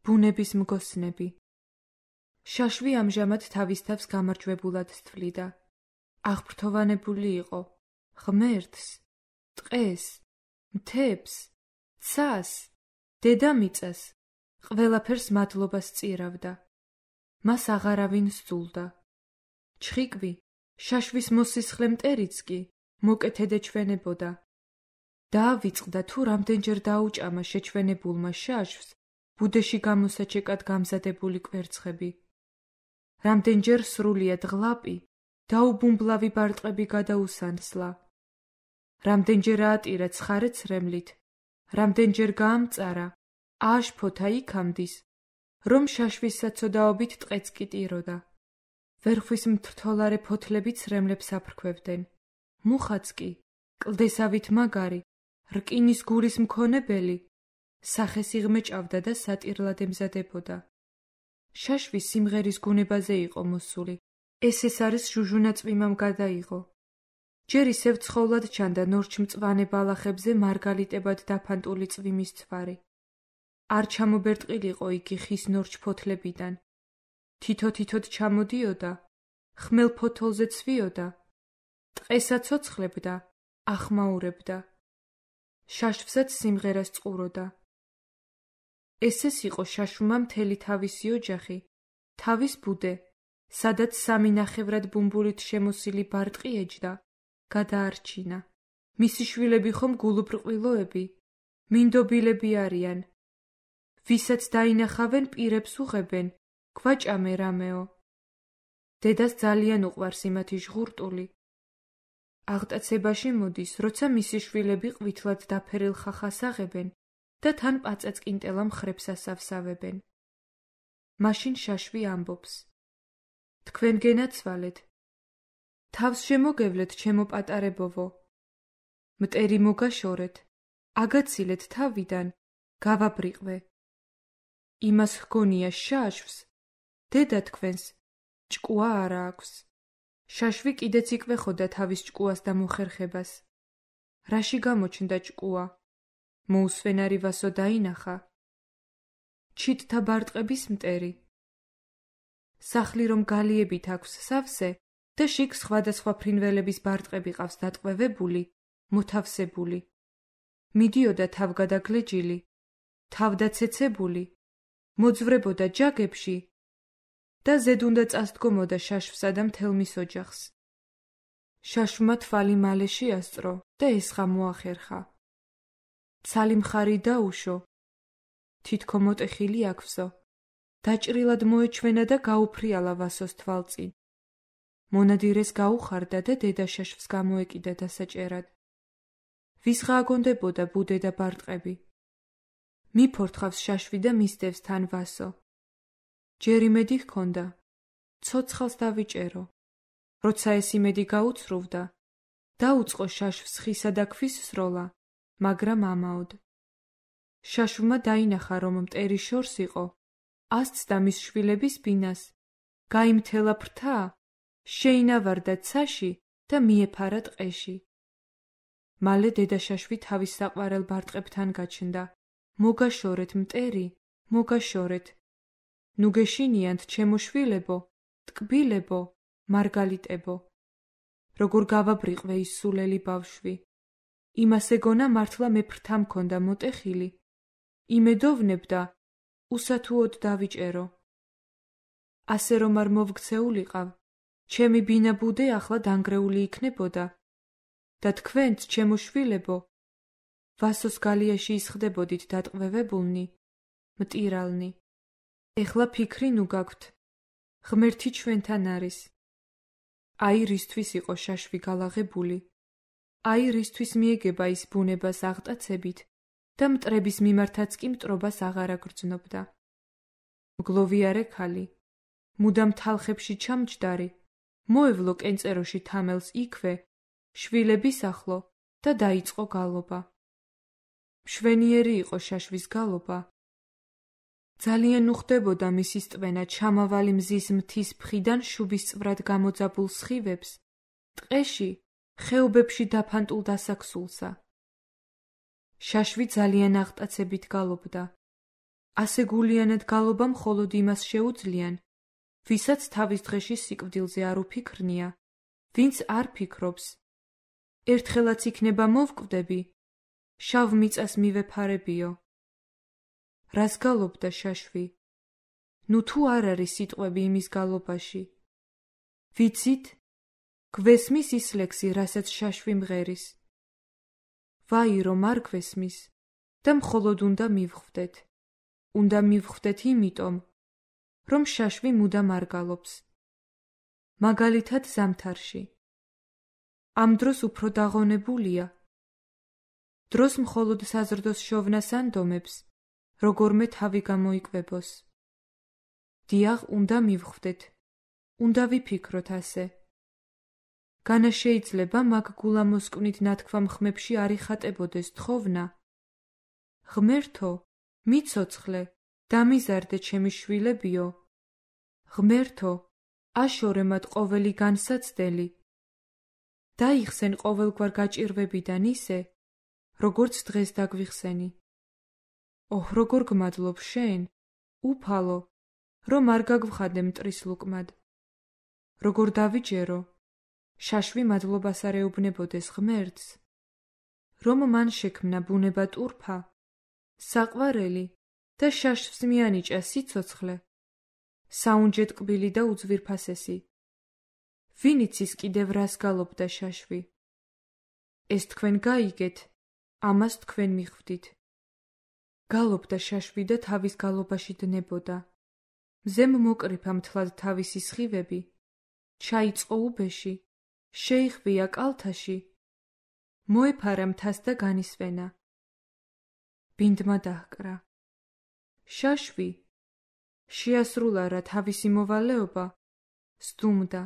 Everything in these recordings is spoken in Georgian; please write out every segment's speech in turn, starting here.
ბუნების მგოსნები. შაშვი ამჟამად თავის თავს გამარჯვებულად თვლიდა. აღფრთოვანებული იყო ღმერთს, ტყეს, მთებს, ცას, დედამიწას, ყველაფერს მადლობას სწირავდა. მას აღარავინ სძულდა. ჩხიკვი, შაშვის მოსისხლე მტერიც კი მოკეთედ ეჩვენებოდა. დაავიწყდა თუ რამდენჯერ დაუჭამა შეჩვენებულმა შაშვს ბუდეში გამოსაჩეკად გამზადებული კვერცხები. რამდენჯერ სრულიად ღლაპი, დაუბუმბლავი ბარტყები გადაუსანსლა. რამდენჯერ აატირა ცხარე ცრემლით, რამდენჯერ გაამწარა, ააშფოთა იქამდის, რომ შაშვის საცოდაობით ტყეც კი ტიროდა. ვერხვის მთრთოლარე ფოთლები ცრემლებს აფრქვევდნენ. მუხაც კი, კლდესავით მაგარი, რკინის გულის მქონებელი, სახეს იღმეჭავდა და სატირლად ემზადებოდა. შაშვი სიმღერის გუნებაზე იყო მოსული. ეს არის ჟუჟუნა წვიმამ გადაიღო. ჯერ ისევ ცხოვლად ჩანდა ნორჩმწვანე ბალახებზე მარგალიტებად დაფანტული წვიმის ცვარი. არ ჩამობერტყილიყო იგი ხის ნორჩ ფოთლებიდან. თითო-თითოდ ჩამოდიოდა, ხმელ ფოთოლზე ცვიოდა, ტყესა ცოცხლებდა, ახმაურებდა. შაშვსაც სიმღერას წყუროდა. ესეც იყო შაშვმა მთელი თავისი ოჯახი, თავის ბუდე, სადაც სამი ნახევრად ბუმბულით შემოსილი ბარტყი ეჯდა, გადაარჩინა. მისი შვილები ხომ გულუბრყვილოები, მინდობილები არიან. ვისაც დაინახავენ პირებს უღებენ, გვაჭამე რამეო. დედას ძალიან უყვარს იმათი ჟღურტული. აღტაცებაში მოდის, როცა მისი შვილები ყვითლად დაფერილ ხახას აღებენ და თან პაწაწკინტელა მხრებს ასავსავებენ. მაშინ შაშვი ამბობს: თქვენ გენაცვალეთ. თავს შემოგევლეთ, ჩემო პატარებოვო. მტერი მოგაშორეთ, აგაცილეთ თავიდან, გავაბრიყვე. იმას ჰგონია შაშვს, დედა თქვენს ჭკუა არა აქვს. შაშვი კიდეც იკვეხოდა თავის ჭკუას და მოხერხებას. რაში გამოჩნდა ჭკუა? მოუსვენარი ვასო დაინახა. ჩიტთა ბარტყების მტერი. სახლი რომ გალიებით აქვს სავსე და შიგ სხვადასხვა ფრინველების ბარტყები ყავს დატყვევებული, მოთავსებული. მიდიოდა თავგადაგლეჯილი, თავდაცეცებული, მოძვრებოდა ჯაგებში და ზედ უნდა წასდგომოდა შაშვსა და მთელ მის ოჯახს. შაშვმა თვალი მალე შეასწრო და ესღა მოახერხა. ცალი მხარი დაუშო, თითქო მოტეხილი აქვსო, დაჭრილად მოეჩვენა და გაუფრიალა ვასოს თვალწინ. მონადირეს გაუხარდა და დედა შაშვს გამოეკიდა დასაჭერად. ვისღა აგონდებოდა ბუდე და ბარტყები. მიფორთხავს შაშვი და მისდევს თან ვასო. ჯერ იმედი ჰქონდა, ცოცხალს დავიჭერო. როცა ეს იმედი გაუცრუვდა, დაუწყო შაშვს ხისა და ქვის სროლა, მაგრამ ამაოდ. შაშვმა დაინახა, რომ მტერი შორს იყო, ასცდა მის შვილების ბინას, გაიმთელა ფრთა, შეინავარდა ცაში და მიეფარა ტყეში. მალე დედა შაშვი თავის საყვარელ ბარტყებთან გაჩნდა. მოგაშორეთ მტერი, მოგაშორეთ. ნუ გეშინიანთ ჩემო შვილებო, ტკბილებო, მარგალიტებო. როგორ გავაბრიყვე ის სულელი ბავშვი. იმას ეგონა მართლა მე ფრთა მქონდა მოტეხილი. იმედოვნებდა, უსათუოდ დავიჭერო. ასე რომ არ მოვქცეულიყავ, ჩემი ბინა ბუდე ახლა დანგრეული იქნებოდა და თქვენც, ჩემო შვილებო, ვასოს გალიაში ისხდებოდით დატყვევებულნი, მტირალნი. ეხლა ფიქრი ნუ გაქვთ, ღმერთი ჩვენთან არის. აი რისთვის იყო შაშვი გალაღებული, აი რისთვის მიეგება ის ბუნებას აღტაცებით და მტრების მიმართაც კი მტრობას აღარ აგრძნობდა. მგლოვიარე ქალი, მუდამ თალხებში ჩამჯდარი, მოევლო კენწეროში თამელს იქვე, შვილების ახლო და დაიწყო გალობა. მშვენიერი იყო შაშვის გალობა. ძალიან უხდებოდა მისი სტვენა ჩამავალი მზის მთის მხრიდან შუბისწვრად გამოძაბულ სხივებს, ტყეში, ხეობებში დაფანტულ დასაქსულსა. შაშვი ძალიან აღტაცებით გალობდა. ასე გულიანად გალობა მხოლოდ იმას შეუძლიან, ვისაც თავის დღეში სიკვდილზე არ უფიქრნია, ვინც არ ფიქრობს. ერთხელაც იქნება მოვკვდები, შავ მიწას მივეფარებიო. რას გალობდა შაშვი? ნუ თუ არ არის სიტყვები იმის გალობაში. ვიცით? გვესმის ის ლექსი, რასაც შაშვი მღერის. ვაი, რომ არ გვესმის და მხოლოდ უნდა მივხვდეთ. უნდა მივხვდეთ იმიტომ, რომ შაშვი მუდამ არ გალობს. მაგალითად ზამთარში. ამ დროს უფრო დაღონებულია. დროს მხოლოდ საზრდოს შოვნას ანდომებს, როგორმე თავი გამოიკვებოს. დიახ, უნდა მივხვდეთ. უნდა ვიფიქროთ ასე. განა შეიძლება მაგ გულამოსკვნით ნათქვამ ხმებში არ იხატებოდეს თხოვნა. ღმერთო, მიცოცხლე, დამიზარდე ჩემი შვილებიო. ღმერთო, აშორე მათ ყოველი განსაცდელი. დაიხსენ ყოველგვარ გაჭირვებიდან ისე, როგორც დღეს დაგვიხსენი. ოჰ, როგორ გმადლობ შენ, უფალო, რომ არ გაგვხადე მტრის ლუკმად. როგორ დავიჯერო, შაშვი მადლობას არ ეუბნებოდეს ღმერთს, რომ მან შექმნა ბუნება ტურფა, საყვარელი და შაშვს მიანიჭა სიცოცხლე, საუნჯე ტკბილი და უძვირფასესი. ვინ იცის კიდევ რას გალობდა შაშვი? ეს თქვენ გაიგეთ, ამას თქვენ მიხვდით. გალობდა შაშვი და თავის გალობაში დნებოდა. მზემ მოკრიფა მთლად თავისი სხივები, ჩაიწყო უბეში, შეიხბია კალთაში, მოეფარა მთას და განისვენა. ბინდმა დაჰკრა. შაშვი შეასრულა რა თავისი მოვალეობა, სდუმდა,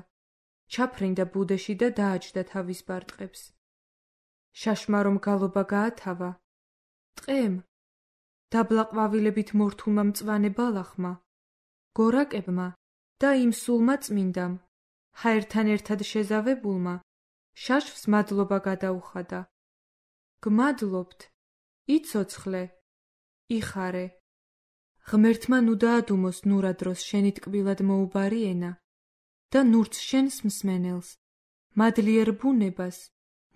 ჩაფრინდა ბუდეში და დააჯდა თავის ბარტყებს. შაშმა რომ გალობა გაათავა, ტყემ, დაბლა ყვავილებით მორთულმა მწვანე ბალახმა, გორაკებმა და იმ სულმა წმინდამ, ჰაერთან ერთად შეზავებულმა, შაშვს მადლობა გადაუხადა. გმადლობთ, იცოცხლე, იხარე. ღმერთმა ნუ დაადუმოს ნურა დროს შენი ტკბილად მოუბარი ენა და ნურც შენს მსმენელს, მადლიერ ბუნებას,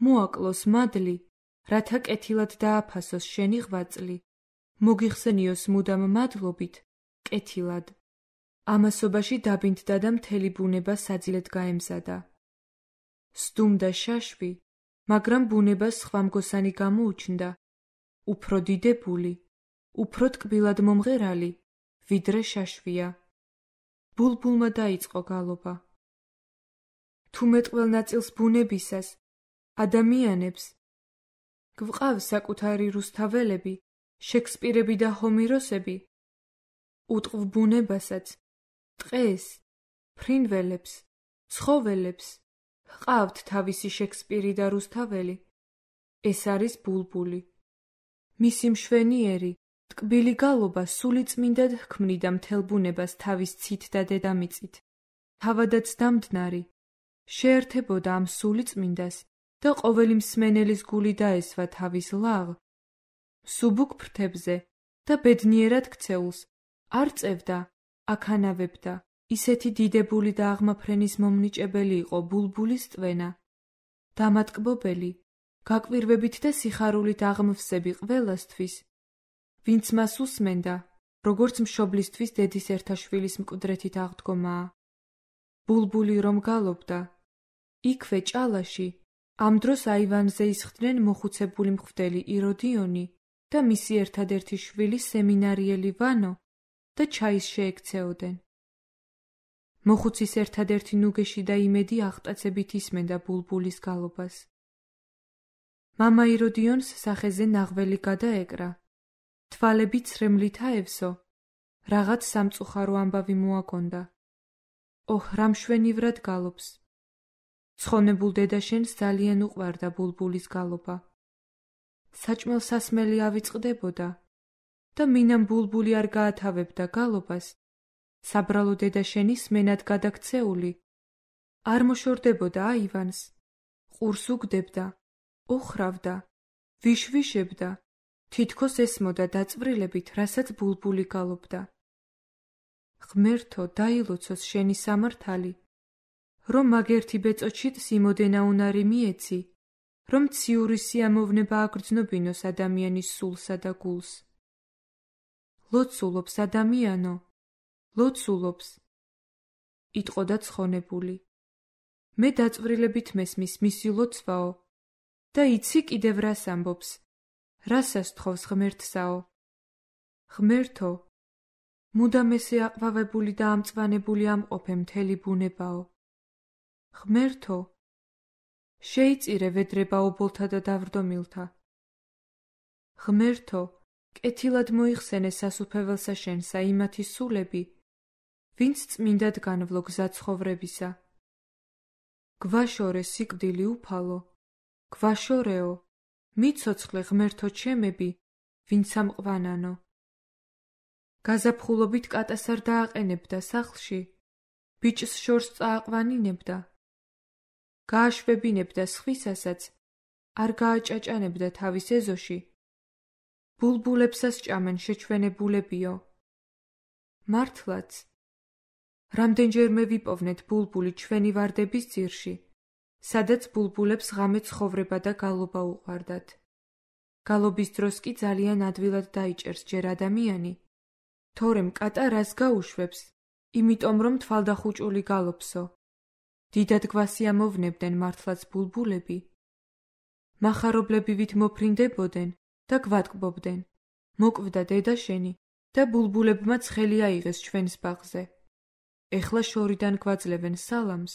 მოაკლოს მადლი, რათა კეთილად დააფასოს შენი ღვაწლი, მოგიხსენიოს მუდამ მადლობით, კეთილად. ამასობაში დაბინდდა და მთელი ბუნება საძილედ გაემზადა. სდუმდა შაშვი, მაგრამ ბუნებას სხვა მგოსანი გამოუჩნდა, უფრო დიდებული, უფრო ტკბილად მომღერალი, ვიდრე შაშვია. ბულბულმა დაიწყო გალობა. თუ მეტყველ ნაწილს ბუნებისას, ადამიანებს, გვყავს საკუთარი რუსთაველები, შექსპირები და ჰომიროსები, უტყვ ბუნებასაც, ტყეს, ფრინველებს, ცხოველებს, ჰყავთ თავისი შექსპირი და რუსთაველი. ეს არის ბულბული. მისი მშვენიერი, ტკბილი გალობა სულიწმინდად ჰქმნიდა მთელ ბუნებას თავის ცით და დედამიწით. თავადაც დამდნარი, შეერთებოდა ამ სულიწმინდას და ყოველი მსმენელის გული დაესვა თავის ლაღ, მსუბუქ ფრთებზე და ბედნიერად ქცეულს არ წევდა, აქანავებდა. ისეთი დიდებული და აღმაფრენის მომნიჭებელი იყო ბულბულის ტვენა. დამატკბობელი, გაკვირვებით და სიხარულით აღმვსები ყველასთვის, ვინც მას უსმენდა, როგორც მშობლისთვის დედის ერთაშვილის მკვდრეთით აღდგომაა. ბულბული რომ გალობდა, იქვე ჭალაში, ამ დროს აივანზე ისხდნენ მოხუცებული მღვდელი იროდიონი და მისი ერთადერთი შვილი სემინარიელი ვანო და ჩაის შეექცეოდენ. მოხუცის ერთადერთი ნუგეში და იმედი აღტაცებით ისმენდა ბულბულის გალობას. მამა იროდიონს სახეზე ნაღველი გადაეკრა. თვალები ცრემლით აევსო, რაღაც სამწუხარო ამბავი მოაგონდა. ოჰ, რა მშვენივრად გალობს. ცხონებულ დედაშენს ძალიან უყვარდა ბულბულის გალობა. საჭმელ სასმელი ავიწყდებოდა და მინამ ბულბული არ გაათავებდა გალობას, საბრალო დედაშენი სმენად გადაქცეული, არ მოშორდებოდა აივანს, ყურს უგდებდა, ოხრავდა, ვიშვიშებდა თითქოს ესმოდა დაწვრილებით, რასაც ბულბული გალობდა. ღმერთო, დაილოცოს შენი სამართალი, რომ მაგერთი ბეწოჩით სიმოდენა უნარი მიეცი, რომ ციური სიამოვნება აგრძნობინოს ადამიანის სულსა და გულს. ლოცულობს ადამიანო, ლოცულობს, იტყოდა ცხონებული. მე დაწვრილებით მესმის მისი ლოცვაო და იცი კიდევ რას ამბობს, რას ასთხოვს ღმერთსაო. ღმერთო, მუდამ ესე აყვავებული და ამწვანებული ამყოფე მთელი ბუნებაო. ღმერთო, შეიწირე ვედრება ობოლთა და დავრდომილთა. ღმერთო, კეთილად მოიხსენე სასუფეველსა შენსა იმათი სულები, ვინც წმინდად განვლო გზა ცხოვრებისა. გვაშორე სიკვდილი უფალო, გვაშორეო, მიცოცხლე ღმერთო ჩემები, ვინც ამყვანანო. გაზაფხულობით კატას არ დააყენებდა სახლში, ბიჭს შორს წააყვანინებდა. გააშვებინებდა სხვისასაც, არ გააჭაჭანებდა თავის ეზოში. ბულბულებსას ჭამენ შეჩვენებულებიო. მართლაც, რამდენჯერმე ვიპოვნეთ ბულბული ჩვენი ვარდების ძირში, სადაც ბულბულებს ღამე ცხოვრება და გალობა უყვარდათ. გალობის დროს კი ძალიან ადვილად დაიჭერს ჯერ ადამიანი, თორემ კატა რას გაუშვებს, იმიტომ რომ თვალდახუჭული გალობსო. დიდად გვასიამოვნებდნენ მართლაც ბულბულები. მახარობლებივით მოფრინდებოდნენ და გვატკბობდნენ. მოკვდა დედა შენი და ბულბულებმა ცხელი აიღეს ჩვენს ბაღზე. ეხლა შორიდან გვაძლევენ სალამს.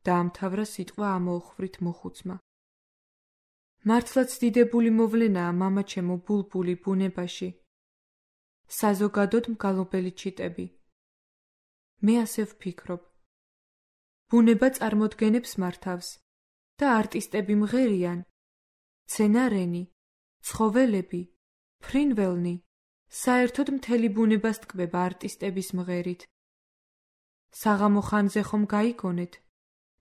დაამთავრა სიტყვა ამოუხვვრით მოხუცმა. მართლაც დიდებული მოვლენაა მამაჩემო ბულბული ბუნებაში. საზოგადოდ მგალობელი ჩიტები. მე ასე ვფიქრობ. ბუნება წარმოდგენებს მართავს და არტისტები მღერიან, მცენარენი, ცხოველები, ფრინველნი, საერთოდ მთელი ბუნებას ტკბება არტისტების მღერით. საღამო ხანზე ხომ გაიგონეთ,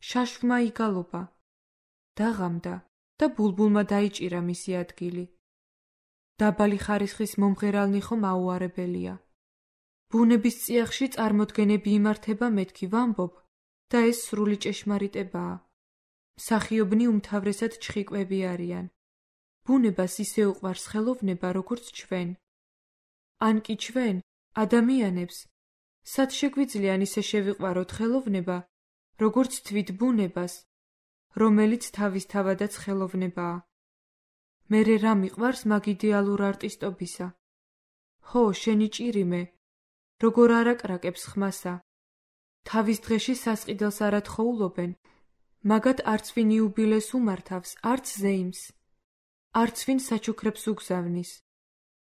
შაშვმა იგალობა, დაღამდა და ბულბულმა დაიჭირა მისი ადგილი. დაბალი ხარისხის მომღერალნი ხომ აუარებელია. ბუნების წიაღში წარმოდგენები იმართება მეთქი ვამბობ და ეს სრული ჭეშმარიტებაა. მსახიობნი უმთავრესად ჩხიკვები არიან. ბუნებას ისე უყვარს ხელოვნება, როგორც ჩვენ. ან კი ჩვენ, ადამიანებს, სად შეგვიძლია ისე შევიყვაროთ ხელოვნება, როგორც თვით ბუნებას, რომელიც თავისთავადაც ხელოვნებაა. მერე რა მიყვარს მაგ იდეალურ არტისტობისა? ხო, შენი ჭირიმე, როგორ არაკრაკებს ხმასა. თავის დღეში სასყიდელს არ ათხოვულობენ, მაგათ არც ვინ იუბილეს უმართავს, არც ზეიმს, არც ვინ საჩუქრებს უგზავნის.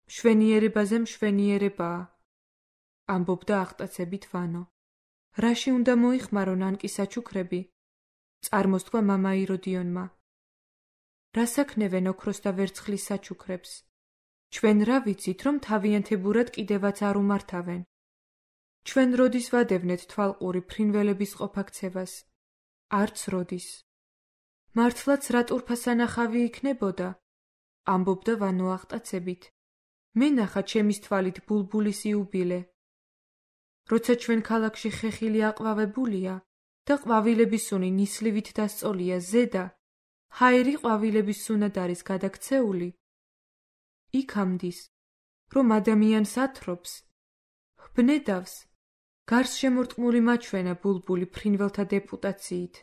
მშვენიერებაზე მშვენიერებაა, ამბობდა აღტაცებით ვანო. რაში უნდა მოიხმარონ ანკი საჩუქრები? წარმოსთქვა მამა იროდიონმა. რასაქნევენ ოქროს და ვერცხლის საჩუქრებს? ჩვენ რა ვიცით, რომ თავიანთებურად კიდევაც არ უმართავენ. ჩვენ როდის ვადევნეთ თვალყური ფრინველების ყოფაქცევას? არც როდის. მართლაც რა ტურფასანახავი იქნებოდა? ამბობდა ვანო აღტაცებით. მე ნახა ჩემის თვალით ბულბულის იუბილე. როცა ჩვენ ქალაქში ხეხილი აყვავებულია და ყვავილების სუნი ნისლივით დასწოლია ზედა, ჰაერი ყვავილების სუნად არის გადაქცეული. იქ ამდის, რომ ადამიანს ათრობს, ბნედავს, გარს შემორტყმული მაჩვენა ბულბული ფრინველთა დეპუტაციით.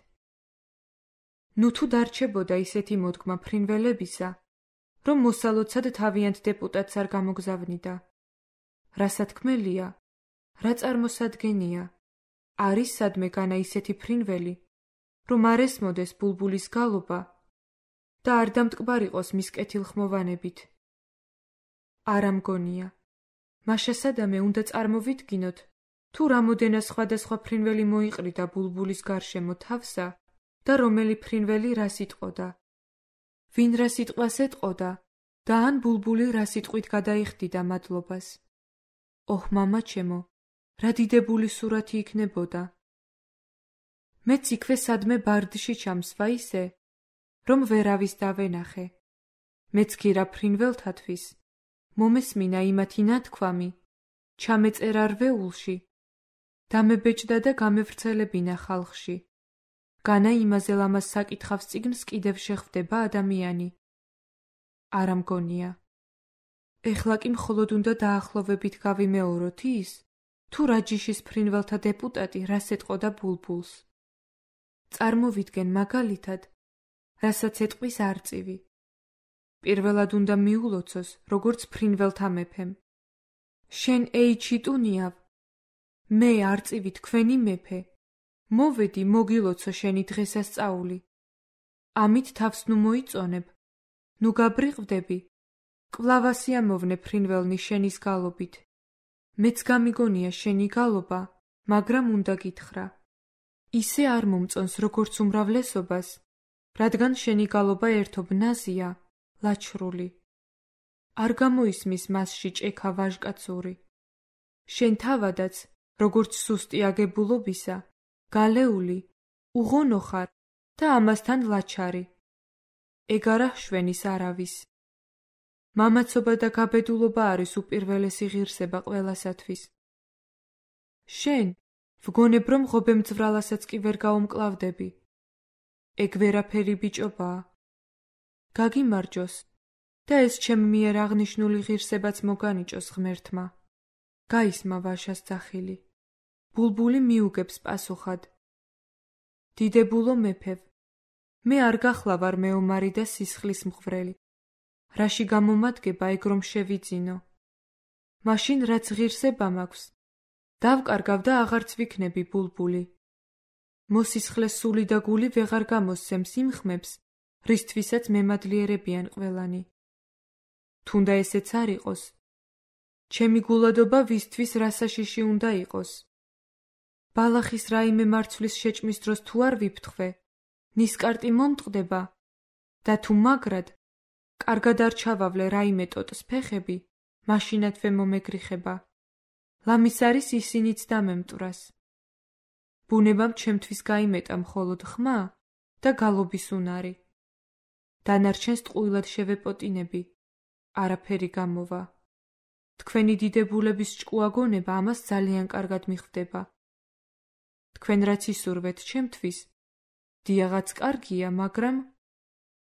ნუ თუ დარჩებოდა ისეთი მოდგმა ფრინველებისა, რომ მოსალოცად თავიანთ დეპუტატს არ გამოგზავნიდა. რასათქმელია, რა წარმოსადგენია, არის სადმე განა ისეთი ფრინველი, რომ არ ესმოდეს ბულბულის გალობა და არ დამტკბარიყოს მის კეთილხმოვანებით. არა მგონია, მაშასადამე უნდა წარმოვიდგინოთ, თუ რამოდენა სხვადასხვა ფრინველი მოიყრიდა ბულბულის გარშემო თავსა და რომელი ფრინველი რა სიტყოდა. ვინ რა სიტყვას ეტყოდა და ან ბულბული რა სიტყვით გადაიხდიდა მადლობას. ოჰ, მამაჩემო, რა დიდებული სურათი იქნებოდა. მეც იქვე სადმე ბარდში ჩამსვა ისე, რომ ვერავის დავენახე. მეც კი რა ფრინველთათვის, მომესმინა იმათი ნათქვამი, ჩამეწერა რვეულში, დამებეჭდა და გამევრცელებინა ხალხში. განა იმაზე ლამაზ საკითხავს წიგნს კიდევ შეხვდება ადამიანი. არა მგონია. ეხლა კი მხოლოდ უნდა დაახლოვებით გავიმეოროთ ის, თუ რა ჯიშის ფრინველთა დეპუტატი რას ეტყოდა ბულბულს. წარმოვიდგენ მაგალითად, რასაც ეტყვის არწივი. პირველად უნდა მიულოცოს, როგორც ფრინველთა მეფემ. შენ ეი ჩიტუნიავ, მე არწივი თქვენი მეფე, მოვედი მოგილოცო შენი დღესასწაული. ამით თავს ნუ მოიწონებ, ნუ გაბრიყვდები, კვლავ ასიამოვნე ფრინველნი შენის გალობით. მეც გამიგონია შენი გალობა, მაგრამ უნდა გითხრა. ისე არ მომწონს როგორც უმრავლესობას, რადგან შენი გალობა ერთობ ნაზია, ლაჩრული. არ გამოისმის მასში ჭექა ვაჟკაცური. შენ თავადაც, როგორც სუსტი აგებულობისა, გალეული, უღონო ხარ და ამასთან ლაჩარი. ეგ არა შვენის არავის. მამაცობა და გაბედულობა არის უპირველესი ღირსება ყველასათვის. შენ ვგონებ, რომ ღობემძვრალასაც კი ვერ გაუმკლავდები. ეგ ვერაფერი ბიჭობაა. გაგიმარჯოს და ეს ჩემ მიერ აღნიშნული ღირსებაც მოგანიჭოს ღმერთმა. გაისმა ვაშას ძახილი. ბულბული მიუგებს პასუხად. დიდებულო მეფევ, მე არ გახლავარ მეომარი და სისხლის მღვრელი. რაში გამომადგება ეგ რომ შევიძინო? მაშინ რაც ღირსება მაქვს, დავკარგავ და აღარც ვიქნები ბულბული. მოსისხლეს სული და გული ვეღარ გამოსცემს იმ ხმებს, რისთვისაც მემადლიერებიან ყველანი. თუნდა ესეც არ იყოს, ჩემი გულადობა ვისთვის რასაშიში უნდა იყოს. ბალახის რაიმე მარცვლის შეჭმის დროს თუ არ ვიფთხվე, ნისკარტი მომტყდება და თუ მაგრად, კარგად არ ჩავავლე რაიმე ტოტს ფეხები, მაშინათვე მომეგრიხება. ლამის არის ისინიც დამემტვრას. ბუნებამ ჩემთვის გაიმეტა მხოლოდ ხმა და გალობის უნარი. დანარჩენს ტყუილად შევეპოტინები, არაფერი გამოვა. თქვენი დიდებულების ჭკუაგონება ამას ძალიან კარგად მიხვდება. თქვენ რაც ისურვეთ ჩემთვის, დიაღაც კარგია, მაგრამ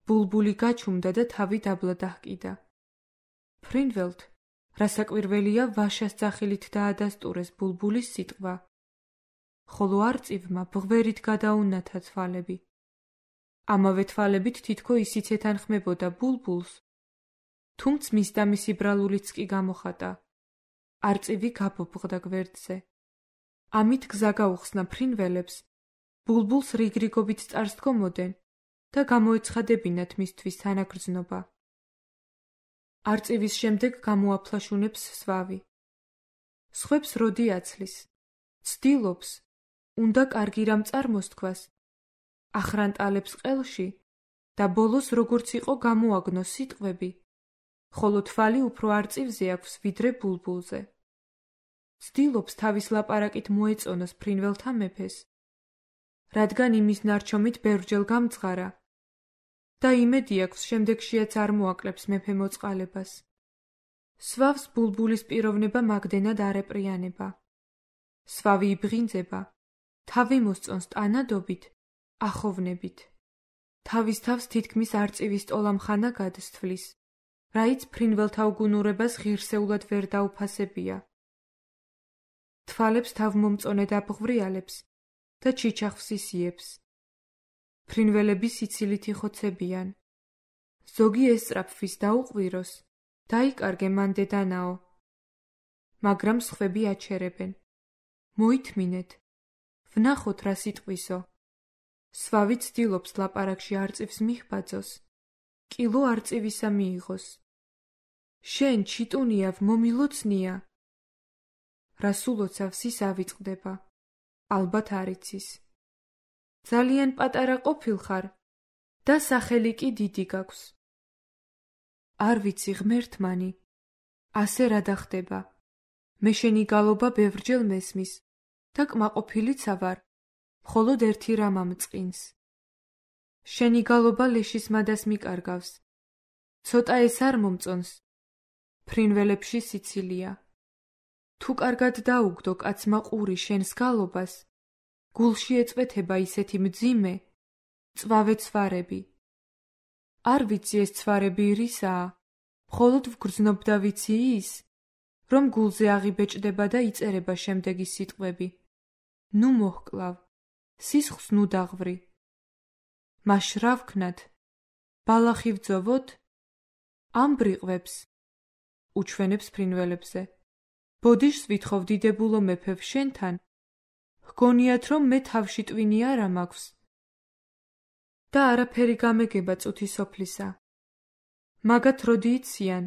ბულბული გაჩუმდა და თავი დაბლა დაჰკიდა. ფრინველთ, რასაკვირველია, ვაშას ძახილით დაადასტურეს ბულბულის სიტყვა, ხოლო არწივმა ბღვერით გადაუნათა თვალები. ამავე თვალებით თითქო ისიც ეთანხმებოდა ბულბულს, თუმც მის და მისი ბრალულიც კი გამოხატა. არწივი გაბობღდა გვერდზე. ამით გზა გაუხსნა ფრინველებს, ბულბულს რიგრიგობით წარს დგომოდნენ და გამოეცხადებინათ მისთვის თანაგრძნობა. არწივის შემდეგ გამოაფლაშუნებს სვავი. სხვებს როდი აცლის, ცდილობს, უნდა კარგი რამ წარმოსთქვას, ახრანტალებს ყელში და ბოლოს როგორც იყო გამოაგნოს სიტყვები, ხოლო თვალი უფრო არწივზე აქვს ვიდრე ბულბულზე. ცდილობს თავის ლაპარაკით მოეწონოს ფრინველთა მეფეს, რადგან იმის ნარჩომით ბევრჯერ გამძღარა და იმედი აქვს შემდეგშიაც არ მოაკლებს მეფე მოწყალებას. სვავს ბულბულის პიროვნება მაგდენად არ ეპრიანება. სვავი იბღინძება, თავი მოსწონს ტანადობით, ახოვნებით. თავის თავს თითქმის არწივის ტოლამხანა გადსთვლის, რაიც ფრინველთა უგუნურებას ღირსეულად ვერ დაუფასებია. თვალებს თავმომწონედ აბღვრიალებს და ჩიჩახვს ისიებს. ფრინველები სიცილით იხოცებიან. ზოგი ესწრაფვის დაუყვიროს, დაიკარგე მან დედანაო. მაგრამ სხვები აჩერებენ. მოითმინეთ, ვნახოთ რა სიტყვისო. სვავი ცდილობს ლაპარაკში არწივს მიჰბაძოს, კილო არწივისა მიიღოს. შენ ჩიტუნიავ მომილოცნია. რას ულოცავს ის ავიწყდება, ალბათ არ იცის. ძალიან პატარა ყოფილხარ და სახელი კი დიდი გაქვს. არ ვიცი ღმერთმანი, ასე რა დახდება. მე შენი გალობა ბევრჯერ მესმის და კმაყოფილიცა ვარ, მხოლოდ ერთი რამ ამწყინს. შენი გალობა ლეშის მადას მიკარგავს ცოტა ეს არ მომწონს. ფრინველებში სიცილია. თუ კარგად დაუგდო კაცმა ყური შენს გალობას, გულში ეწვეთება ისეთი მძიმე, წვავე ცვარები. არ ვიცი ეს ცვარები რისაა, მხოლოდ ვგრძნობ და ვიცი ის, რომ გულზე აღიბეჭდება და იწერება შემდეგი სიტყვები. ნუ მოჰკლავ, სისხლს ნუ დაღვრი. მაშ რა ვქნათ? ბალახი ვძოვოთ? ამ ბრიყვებს, უჩვენებს ფრინველებზე. ბოდიშს ვითხოვ დიდებულო მეფევ შენთან, ჰგონიათ რომ მე თავში ტვინი არა მაქვს და არაფერი გამეგება წუთი სოფლისა. მაგათ როდი იციან,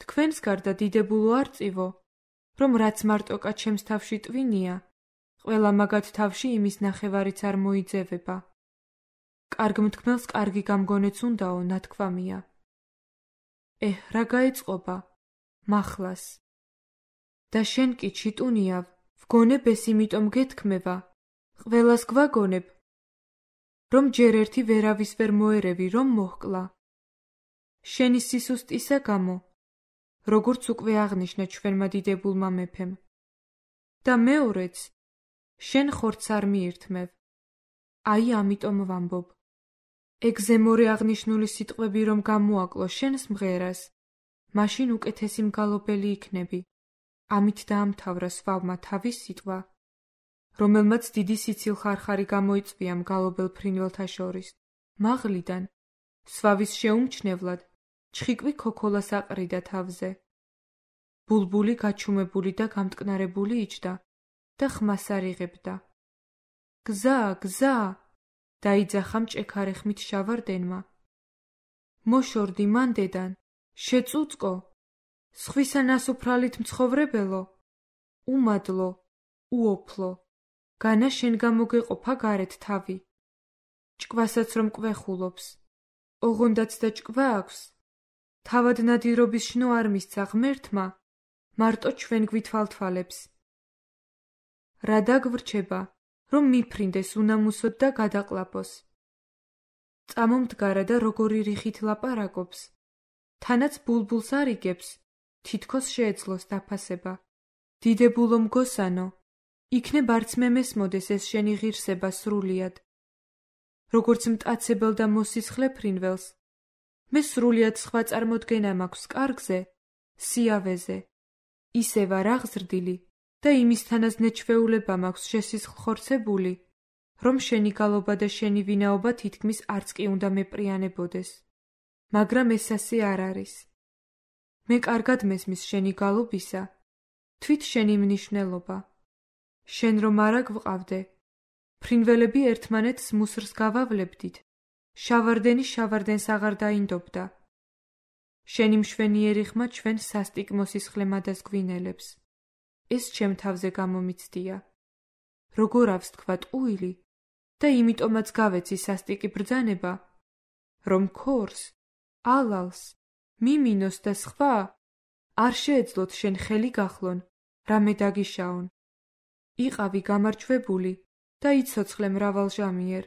თქვენს გარდა დიდებულო არ წივო, რომ რაც მარტოკა ჩემს თავში ტვინია, ყველა მაგათ თავში იმის ნახევარიც არ მოიძევება. კარგ მთქმელს კარგი გამგონეც უნდაო, ნათქვამია. რა გაეწყობა? მახლას. და შენ კი ჩიტუნიავ, ვგონებ ეს იმიტომ გეთქმება, ყველას გვაგონებ, რომ ჯერ ერთი ვერავის ვერ მოერევი, რომ მოჰკლა. შენი სისუსტისა გამო, როგორც უკვე აღნიშნა ჩვენმა დიდებულმა მეფემ. და მეორეც, შენ ხორცს არ მიირთმევ. აი ამიტომ ვამბობ. ეგ ზემორე აღნიშნული სიტყვები რომ გამოაკლო შენს მღერას, მაშინ უკეთესი მგალობელი იქნები. ამით დაამთავრა სვავმა თავის სიტყვა, რომელმაც დიდი სიცილ-ხარხარი გამოიწვია მგალობელ ფრინველთა შორის. მაღლიდან, სვავის შეუმჩნევლად, ჩხიკვი ქოქოლას აყრიდა თავზე. ბულბული გაჩუმებული და გამტკნარებული იჯდა და ხმას არ იღებდა. გზა, გზა! დაიძახა მჭექარე ხმით შავარდენმა. მოშორდი მანდედან, შეწუწკო, სხვისა ნასუფრალით მცხოვრებელო, უმადლო, უოფლო, განა შენ გამოგეყოფა გარეთ თავი. ჭკვასაც რომ კვეხულობს, ოღონდაც და ჭკვა აქვს. თავად ნადირობის შნო არ მისცა ღმერთმა, მარტო ჩვენ გვითვალთვალებს. რა დაგვრჩება, რომ მიფრინდეს უნამუსოდ და გადაყლაპოს. წამომდგარა და როგორი რიხით ლაპარაკობს, თანაც ბულბულს არ იგებს, თითქოს შეეძლოს დაფასება. დიდებულო მგოსანო, იქნებ არც მე მესმოდეს ეს შენი ღირსება სრულიად. როგორც მტაცებელ და მოსისხლე ფრინველს, მე სრულიად სხვა წარმოდგენა მაქვს კარგზე, სიავეზე. ისე ვარ აღზრდილი და იმისთანაც ნეჩვეულება მაქვს შესისხლხორცებული, რომ შენი გალობა და შენი ვინაობა თითქმის არც კი უნდა მეპრიანებოდეს. მაგრამ ეს ასე არ არის. მე კარგად მესმის შენი გალობისა, თვით შენი მნიშვნელობა. შენ რომ არა გვყავდე, ფრინველები ერთმანეთს მუსრს გავავლებდით, შავარდენი შავარდენს აღარ დაინდობდა. შენი მშვენიერი ხმა ჩვენ სასტიკ მოსისხლემადას გვინელებს. ეს ჩემ თავზე გამომიცდია. როგორ აქვს თქვა ტყუილი და იმიტომაც გავეცი სასტიკი ბრძანება, რომ ქორს, ალალს, მიმინოს და სხვა არ შეეძლოთ შენ ხელი გახლონ, რამე დაგიშაონ. იყავი გამარჯვებული და იცოცხლე მრავალჟამიერ.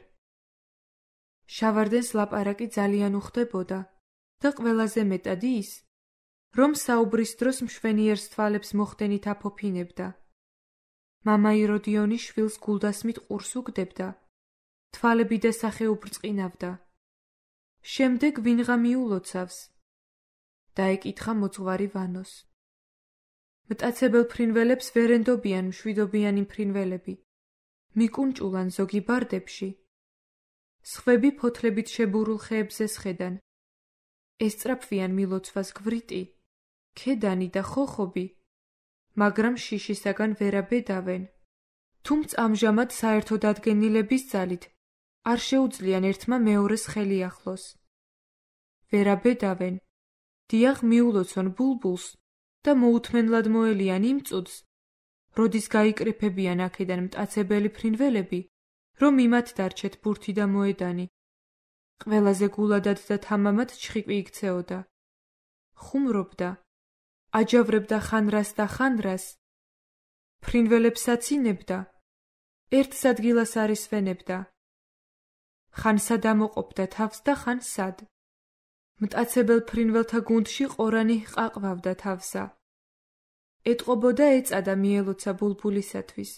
შავარდენს ლაპარაკი ძალიან უხდებოდა და ყველაზე მეტად ის, რომ საუბრის დროს მშვენიერს თვალებს მოხდენით აფოფინებდა. მამა იროდიონი შვილს გულდასმით ყურს უგდებდა, თვალები და სახე უბრწყინავდა. შემდეგ ვინღა მიულოცავს? დაეკითხა მოძღვარი ვანოს. მტაცებელ ფრინველებს ვერ ენდობიან მშვიდობიანი ფრინველები. მიკუნჭულან ზოგი ბარდებში. სხვები ფოთლებით შებურულ ხეებზე სხედან. ესწრაფვიან მილოცვას გვრიტი, ქედანი და ხოხობი, მაგრამ შიშისაგან ვერაბედავენ. თუმცა ამჟამად საერთო დადგენილების ძალით არ შეუძლიან ერთმა მეორეს ხელი ახლოს. ვერაბედავენ, დიახ მიულოცონ ბულბულს და მოუთმენლად მოელიან იმ წუთს, როდის გაიკრიფებიან აქედან მტაცებელი ფრინველები, რომ იმათ დარჩეთ ბურთი და მოედანი. ყველაზე გულადად და თამამად ჩხიკვი იქცეოდა. ხუმრობდა, აჯავრებდა ხანრას და ხანრას, ფრინველებს აცინებდა, ერთ ადგილას არისვენებდა. ხან სად ამოყოფდა თავს და ხან სად. მტაცებელ ფრინველთა გუნდში ყორანი ჰყაყავდა თავსა. ეტყობოდა ეწადა მიელოცა ბულბულისათვის.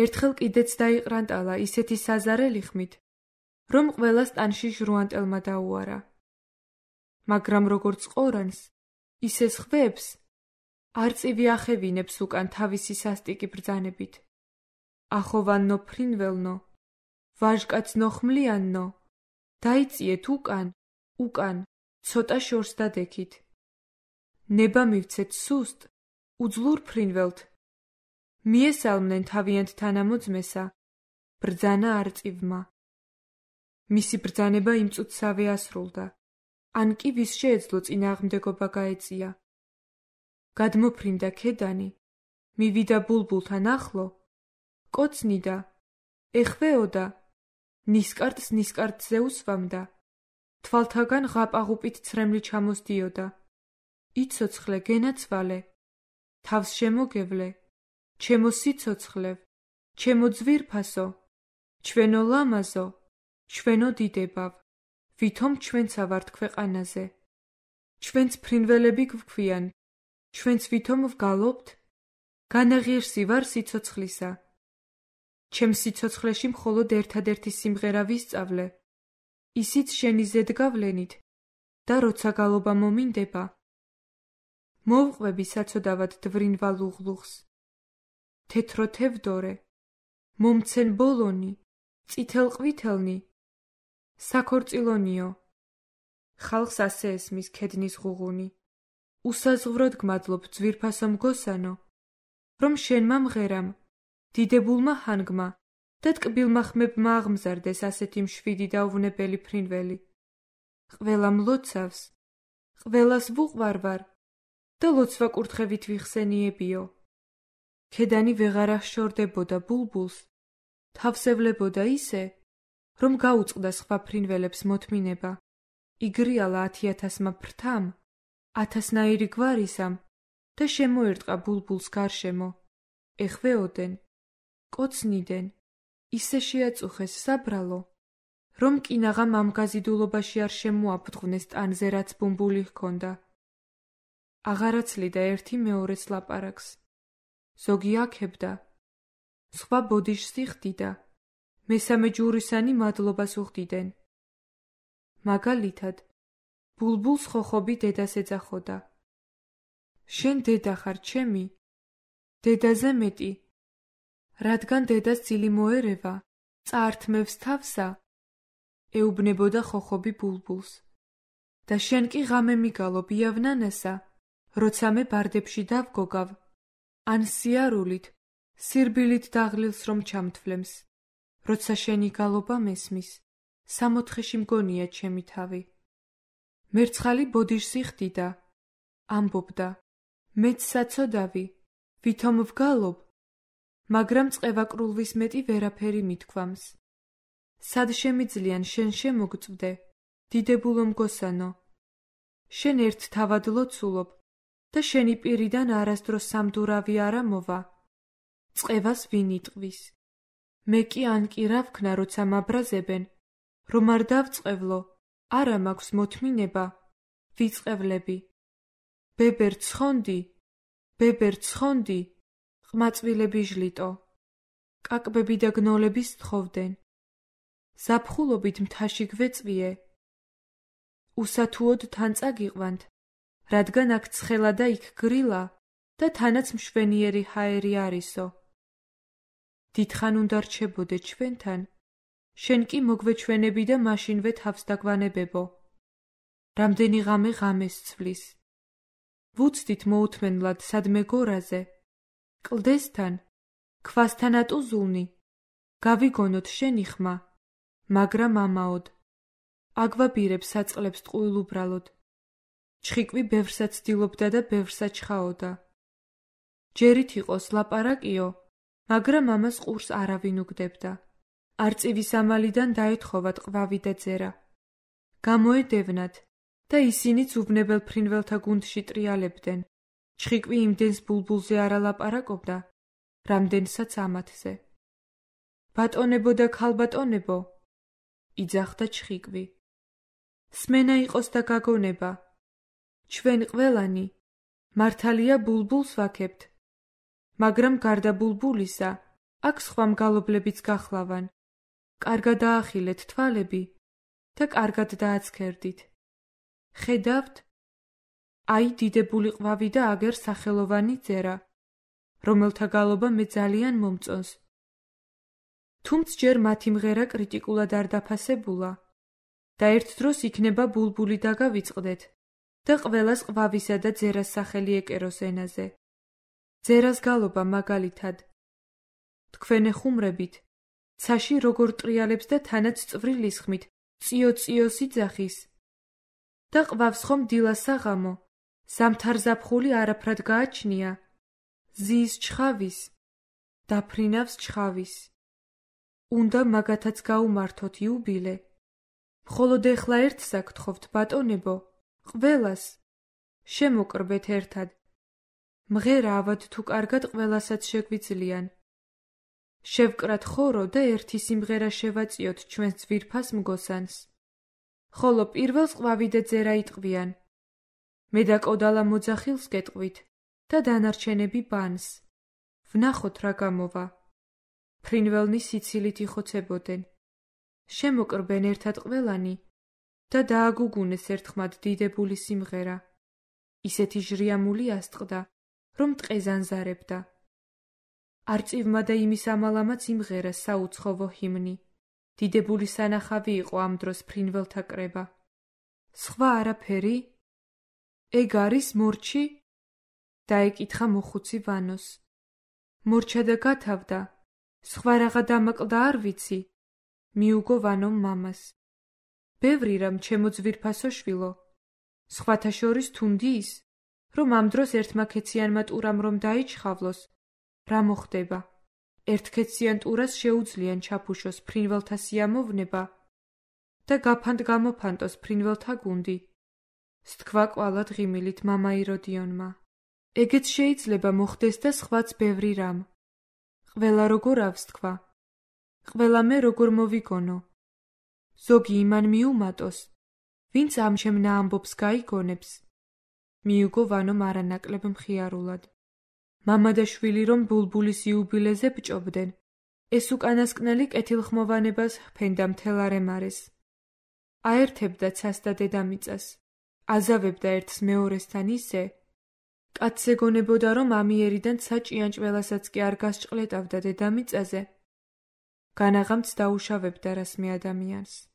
ერთხელ კიდეც დაიყრანტალა ისეთი საზარელი ხმით, რომ ყველას ტანში ჟრუანტელმა დაუარა. მაგრამ როგორც ყორანს, ისე სხვებს არწივი ახევინებს უკან თავისი სასტიკი ბრძანებით. ახოვანნო ფრინველნო, ვაჟკაცნო ხმლიანნო, დაიწიეთ უკან, ცოტა შორს დადექით. ნება მივცეთ სუსტ, უძლურ ფრინველთ. მიესალმნენ თავიანთ თანამოძმესა, ბრძანა არწივმა. მისი ბრძანება იმ წუთსავე ასრულდა, ან კი ვის შეეძლო წინააღმდეგობა გაეწია. გადმოფრინდა ქედანი, მივიდა ბულბულთან ახლო, კოცნიდა, ეხვეოდა, ნისკარტზე უსვამდა, თვალთაგან ღაპაღუპით ცრემლი ჩამოსდიოდა. იცოცხლე გენაცვალე, თავს შემოგევლე, ჩემო სიცოცხლევ, ჩემო ძვირფასო, ჩვენო ლამაზო, ჩვენო დიდებავ, ვითომ ჩვენცა ვართ ქვეყანაზე. ჩვენც ფრინველები გვქვიან, ჩვენც ვითომ ვგალობთ? განაღირსი ვარ სიცოცხლისა. ჩემ სიცოცხლეში მხოლოდ ერთადერთი სიმღერა ვისწავლე, ისიც შენი ზედგავლენით და როცა გალობა მომინდება. მოვყვები საცოდავად დვრინვა ლუღლუღს. თეთრო თევდორე, მომცენ ბოლონი, წითელ ყვითელნი, საქორწილონიო. ხალხს ასე ესმის ქედნის ღუღუნი. უსაზღვროდ გმადლობ ძვირფასო მგოსანო, რომ შენმა მღერამ, დიდებულმა ჰანგმა და ტკბილმა ხმებმა აღმზარდეს ასეთი მშვიდი და უვნებელი ფრინველი. ყველა მლოცავს, ყველას ვუყვარვარ და ლოცვა კურთხევით ვიხსენიებიო. ქედანი ვეღარ აღშორდებოდა ბულბულს, თავსევლებოდა ისე, რომ გაუწყდა სხვა ფრინველებს მოთმინება. იგრიალა 10,000-მა ფრთამ, 1000-ნაირი გვარისამ და შემოერტყა ბულბულს გარშემო. ეხვეოდენ, კოცნიდან, ისე შეაწუხეს საბრალო, რომ კინაღამ ამ გაზიდულობაში არ შემოაფრთხვნეს ტანზე, რაც ბუმბული ჰქონდა. აღარაცლიდა ერთი მეორეს ლაპარაკს. ზოგი აქებდა, სხვა ბოდიშს იხდიდა, მესამე ჯურისანი მადლობას უხდიდნენ. მაგალითად, ბულბულს ხოხობი დედას ეძახოდა. შენ დედა ხარ ჩემი, დედაზე მეტი, რადგან დედას ძილი მოერევა, წაართმევს თავსა, ეუბნებოდა ხოხობი ბულბულს. და შენ კი ღამე მიგალობ იავნანასა, როცა მე ბარდებში დავგოგავ, ან სიარულით, სირბილით დაღლილს რომ ჩამთვლემს, როცა შენი გალობა მესმის, სამოთხეში მგონია ჩემი თავი. მერცხალი ბოდიშს იხდიდა, ამბობდა, მეც საცოდავი, ვითომ ვგალობ, მაგრამ წყევაკრულვის მეტი ვერაფერი მithქვამს. სად შემიძლიან შენ შემოგწვდე, დიდებულო მგოსანო? შენ ერთ თავად ლოცულობ და შენი პირიდან არასდროს სამდურავი არა მოვა. წყევას ვინ იტყვის? მე კი ან კი რა ვქნა, როცა მაბრაზებენ, რომ არ დავწყევლო, არა მაქვს მოთმინება, ვიწყევლები. ბებერ ცხონდი, ყმაწვილები ჟლიტო, კაკბები და გნოლები სთხოვდნენ. ზაფხულობით მთაში გვეწვიე. უსათუოდ თან წაგიყვანთ, რადგან აქ ცხელა და იქ გრილა და თანაც მშვენიერი ჰაერი არისო. დიდხან უნდა რჩებოდე ჩვენთან, შენ კი მოგვეჩვენები და მაშინვე თავს დაგვანებებო. რამდენი ღამე ღამეს ცვლის. ვუცდით მოუთმენლად სადმე გორაზე, კლდესთან, ქვასთან ატუზულნი, გავიგონოთ შენი ხმა, მაგრამ ამაოდ. აგვაბირებ საწყლებს ტყუილ უბრალოდ. ჩხიკვი ბევრსა ცდილობდა და ბევრსა ჩხაოდა. ჯერით იყოს ლაპარაკიო, მაგრამ ამას ყურს არავინ უგდებდა. არწივის ამალიდან დაეთხოვათ ყვავი და ძერა. გამოედევნათ და ისინიც უვნებელ ფრინველთა გუნდში ტრიალებდნენ. ჩხიკვი იმდენს ბულბულზე არ ალაპარაკობდა, რამდენსაც ამათზე. ბატონებო და ქალბატონებო, იძახდა ჩხიკვი. სმენა იყოს და გაგონება. ჩვენ ყველანი მართალია ბულბულს ვაქებთ, მაგრამ გარდა ბულბულისა აქ სხვა მგალობლებიც გახლავან. კარგად დაახილეთ თვალები და კარგად დააცქერდით. ხედავთ? აი დიდებული ყვავი და აგერ სახელოვანი ძერა, რომელთა გალობა მე ძალიან მომწონს. თუმც ჯერ მათი მღერა კრიტიკულად არ დაფასებულა და ერთ დროს იქნება ბულბული დაგავიწყდეთ და ყველას ყვავისა და ძერას სახელი ეკეროს ენაზე. ძერას გალობა მაგალითად თქვენ ეხუმრებით, ცაში როგორ ტრიალებს და თანაც წვრილი სხმით წიო-წიოს იძახის და ყვავს ხომ დილას საღამო, ზამთარ-ზაფხული არაფრად გააჩნია, ზის ჩხავის, დაფრინავს ჩხავის. უნდა მაგათაც გაუმართოთ იუბილე. მხოლოდ ეხლა ერთს აგთხოვთ, ბატონებო, ყველას შემოკრბეთ ერთად. მღერა ავად თუ კარგად ყველასაც შეგვიძლიან. შევკრათ ხორო და ერთი სიმღერა შევაწიოთ ჩვენს ძვირფას მგოსანს. ხოლო პირველს ყვავი და ძერა იტყვიან. მე და კოდალა მოძახილს გეტყვით და დანარჩენები ბანს. ვნახოთ რა გამოვა. ფრინველნი სიცილით იხოცებოდნენ. შემოკრბენ ერთად ყველანი და დააგუგუნეს ერთხმად დიდებული სიმღერა. ისეთი ჟრიამული ასტყდა, რომ ტყე ზანზარებდა. არწივმა და იმის ამალამაც იმღერა საუცხოვო ჰიმნი. დიდებული სანახავი იყო ამ დროს ფრინველთა კრება. სხვა არაფერი? ეგ არის მორჩი? დაეკითხა მოხუცი ვანოს. მორჩა და გათავდა. სხვა რაღა დამაკლდა არ ვიცი. მიუგო ვანომ მამას. ბევრი რამ ჩემო ძვირფასო შვილო. სხვათა შორის თუნდი ის, რომ ამ დროს ერთმა ქეციანმა ტურამ რომ დაიჩხავლოს, რა მოხდება? ერთ ქეციან ტურას შეუძლიან ჩაფუშოს ფრინველთა სიამოვნება და გაფანტ გამოფანტოს ფრინველთა გუნდი. სთქვა კვალად ღიმილით მამა იროდიონმა. ეგეც შეიძლება მოხდეს და სხვაც ბევრი რამ. ყველა როგორ ავს თქვა. ყველა მე როგორ მოვიგონო. ზოგი იმან მიუმატოს, ვინც ამ შემნა ამბობს გაიგონებს. მიუგო ვანომ არანაკლებ მხიარულად. მამა და შვილი რომ ბულბულის იუბილეზე ბჭობდნენ, ეს უკანასკნელი კეთილხმოვანებას ჰფენდა მთელ არემარეს. აერთებდა ცას და დედამიწას, აზავებდა ერთს მეორესთან ისე, კაცს ეგონებოდა რომ ამიერიდან ცა ჭიანჭველასაც კი არ გასჭყლეტავდა დედამიწაზე, განაღამც დაუშავებდა რასმე ადამიანს.